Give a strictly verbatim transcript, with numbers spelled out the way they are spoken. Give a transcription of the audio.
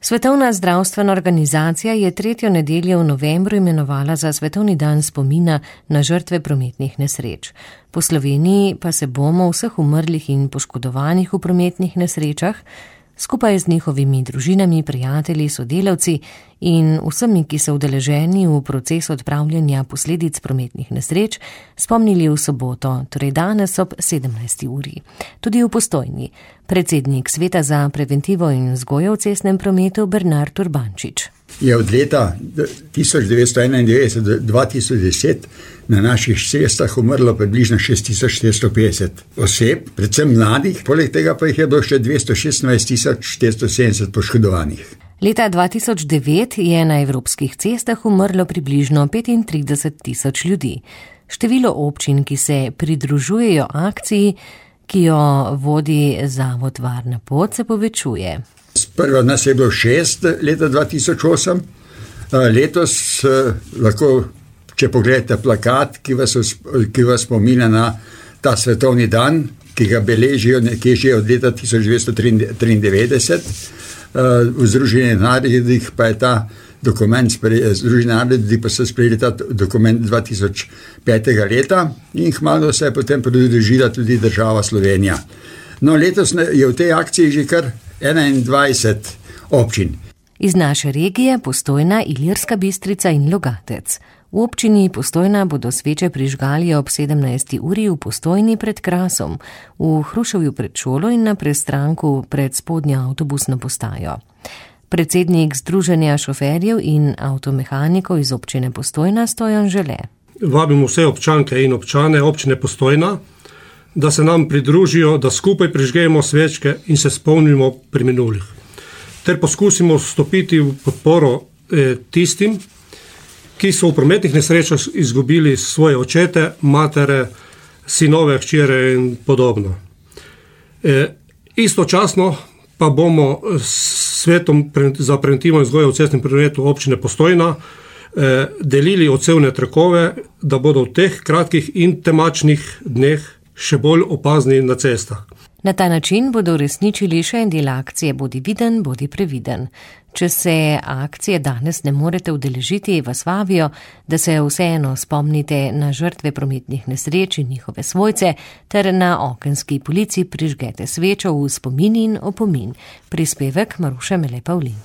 Svetovna zdravstvena organizacija je tretjo nedeljo v novembru imenovala za Svetovni dan spomina na žrtve prometnih nesreč. Po Sloveniji pa se bomo vseh umrlih in poškodovanih v prometnih nesrečah skupaj z njihovimi družinami, prijatelji, sodelavci in vsemi, ki so udeleženi v proces odpravljanja posledic prometnih nesreč, spomnili v soboto, torej danes ob sedemnajsti uri. Tudi v Postojni. Predsednik Sveta za preventivo in vzgojo v cestnem prometu Bernard Urbančič. Je od leta tisoč devetsto enaindevetdeset do dva tisoč deset na naših cestah umrlo približno šest tisoč štiristo petdeset oseb, predvsem mladih, poleg tega pa jih je bilo še dvesto šestnajst tisoč štiristo sedemdeset poškodovanih. Leta dva tisoč devet je na evropskih cestah umrlo približno petintrideset tisoč ljudi. Število občin, ki se pridružujejo akciji, ki jo vodi Zavod Varna pot, se povečuje. Sprva nas je bilo šest leta dva tisoč osem, letos lahko, če pogledate plakat, ki vas, ki vas spominja na ta svetovni dan, ki ga beležijo nekje že od leta tisoč devetsto triindevetdeset, v Združenih narodih pa je ta dokument, Združeni narodi pa so sprejeli ta dokument dva tisoč petega leta in kmalu se je potem pridružila tudi država Slovenija. No, letos je v tej akciji že kar enaindvajset občin. Iz naše regije Postojna, Ilirska Bistrica in Logatec. V občini Postojna bodo sveče prižgali ob sedemnajsti uri v Postojni pred Krasom, v Hruševju pred šolo in na prestranku pred spodnjo avtobusno postajo. Predsednik Združenja šoferjev in avtomehanikov iz občine Postojna Stojan Žele. Vabimo vse občanke in občane občine Postojna, da se nam pridružijo, da skupaj prižgemo svečke in se spomnimo preminulih. Ter poskusimo stopiti v podporo eh, tistim, ki so v prometnih nesrečah izgubili svoje očete, matere, sinove, hčere in podobno. E, istočasno pa bomo s Svetom za preventivo in vzgojo v cestnem prometu občine Postojna e, delili odsevne trakove, da bodo v teh kratkih in temačnih dneh še bolj opazni na cestah. Na ta način bodo uresničili še en del akcije Bodi viden, bodi previden. Če se akcije danes ne morete udeležiti, vas vabijo, da se vseeno spomnite na žrtve prometnih nesreč in njihove svojce, ter na okenski polici prižgete svečo v spomin in opomin. Prispevek Maruše Mele Pavlin.